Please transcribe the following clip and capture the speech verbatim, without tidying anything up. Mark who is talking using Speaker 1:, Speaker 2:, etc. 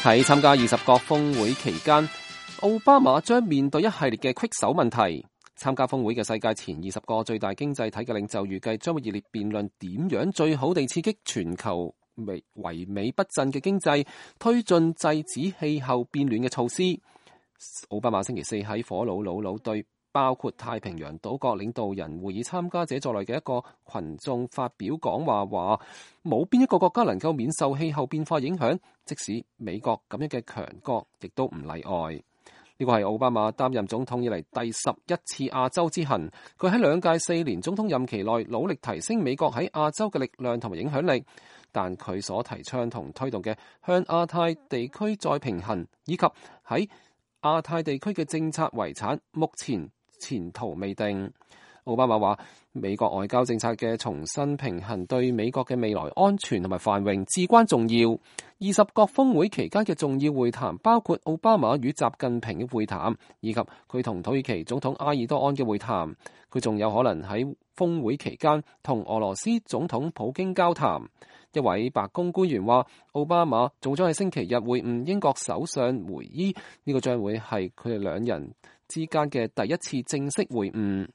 Speaker 1: 喺參加二十國峰會期間，奧巴馬將面對一系列嘅棘手問題。參加峰會嘅世界前二十個最大經濟體嘅領袖預計將會熱烈辯論點樣最好地刺激全球唯美不振嘅經濟，推進制止氣候變暖嘅措施。奧巴馬星期四喺火爐魯魯對包括太平洋島國領導人會議參加者在內嘅一個群眾發表講話，話冇邊一個國家能夠免受氣候變化影響，即使美國咁樣嘅強國亦都唔例外。呢個係奧巴馬擔任總統以嚟第十一次亞洲之行。佢喺兩屆四年總統任期內努力提升美國喺亞洲嘅力量同埋影響力，但佢所提倡同推動嘅向亞太地區再平衡，以及喺亞太地區嘅政策遺產，目前前途未定。奧巴馬話，美國外交政策嘅重新平衡對美國嘅未來安全同埋繁榮至關重要。二十國峰會期間嘅重要會談包括奧巴馬與習近平嘅會談，以及佢同土耳其總統埃爾多安嘅會談。佢仲有可能喺峰會期間同俄羅斯總統普京交談。一位白宮官員話，奧巴馬仲將喺星期日會晤英國首相梅伊，呢個將會係佢哋兩人之間嘅第一次正式會晤。